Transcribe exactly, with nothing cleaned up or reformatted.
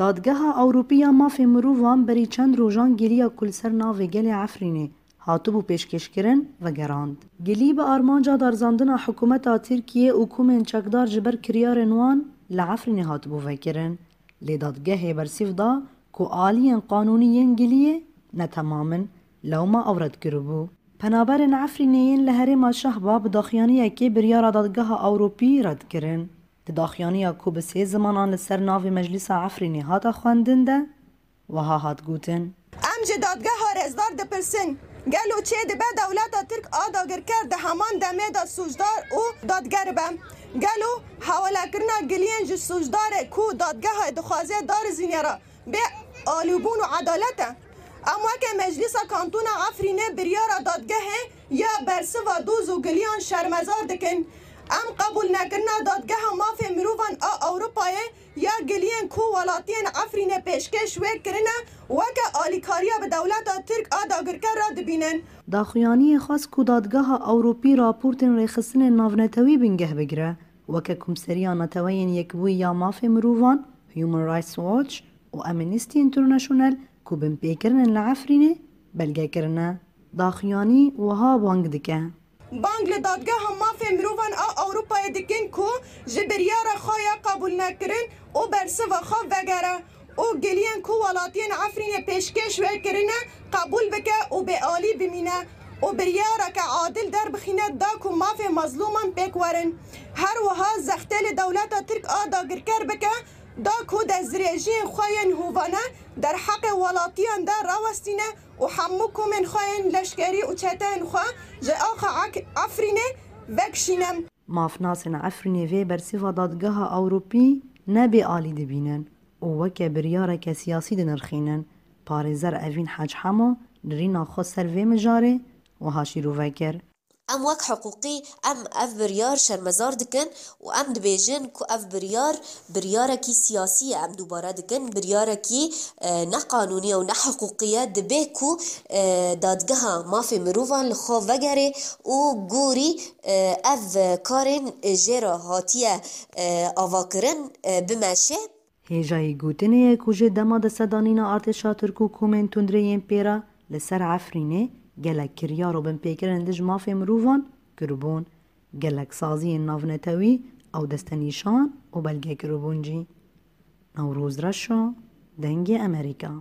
Dadgeha Ewropî ya Mafê Mirovan berî çend rojan giliya ku li ser navê gelê Efrînê hatibû pêşkêşkirin, vegerand. Gilî bi armanca darizandina hikûmeta Tirkiyê û komên çekdar ji ber kiryarên wan li Efrînê hatibû vekirin. Lê dadgehê bersîv da ku aliyên qanûnî yên giliyê ne temam in, lewma ew red kiribû. Penaberên Efrînê yên li herêma Şehba bi daxuyaniyekê biryara Dadgeha Ewropî red kirin. Di daxuyaniya ku bi sê zimanan li ser navê Meclîsa Efrînê hate xwendin de, wiha hat gotin. Em ji dadgeha rêzdar dipirsin, gelo çê dibe dewleta Tirk a dagirker di heman demê de sûcdar û dadger be? Gelo hewalekirina giliyên ji sûcdarê ku dadgeha dixwaze darizîne re bê alîbûn û edalet e? Em weke Meclîsa Kantona Efrînê biryara dadgehê ya bersiva doz û giliyan şermezar dikin. Em qebûlnekirina Dadgeha Mafê Mirovan a Ewropayê ya giliyên ku welatiyên Efrînê pêşkêş wê kirine, weke alîkariya bi dewleta Tirk a dagirker re dibînin. Daxuyaniyê xwest ku Dadgeha Ewropî raportên rêxistinên navnetewî bingeh bigire, weke Komseriya Neteweyên Yekbûyî ya Mafê Mirovan, Human Rights Watch û Amnesty International ku binpêkirin in li Efrînê belge kirine. Daxuyanî wiha bang dike. Bang li Dadgeha Mafê Mirovan a Ewropayê dikin ku ji biryara xwe ya qebûlnekirin û bersiva xwe vegere û giliyên ku welatiyên Efrînê pêşkêş wê kirine qebûl bike û bêalî bimîne û biryareke adil derbixîne da ku mafê mezlûman pêk werin. Her wiha zextê li dewleta Tirk a dagirker bike da ku destdirêjiyên xwe yên hovane derheqê welatiyan de rawestîne û hemû komên xwe yên leşkerî û çeteyên xwe ji axa Ek-, Efrînê vekişîne. Mafnasên Efrînê vê bersîva Dadgeha Ewropî ne bêalî dibînin û weke biryareke siyasî dinirxînin. Parêzer Evîn Hec Hemo nirîna xwe ser vê mijarê wiha şîrove kir. Em wek hiqûqî, em ev biryar şermezar dikin û em dibêjin ku ev biryar, biryarekî siyasî ye. Em dubare dikin, biryarekî, e, neqanûnî ye û nehiqûqî ye. Dibe ku, e, Dadgeha Mafê Mirovan li xwe vegere û gorî, e, ev karên jê re hatiye, e, avakirin, e, bimeşe. Hêjayî gotinê ye ku ji dema destsedanîna artêşa Tirk û komên tundrê yên pê re li ser Efrînê gelek kiryar û binpêkirin li dij mafê mirovan kiribûn, gelek saziyên navnetewî ew destenîşan û belge kiribûn jî. Newroz Reşo, Dengê Emerîka.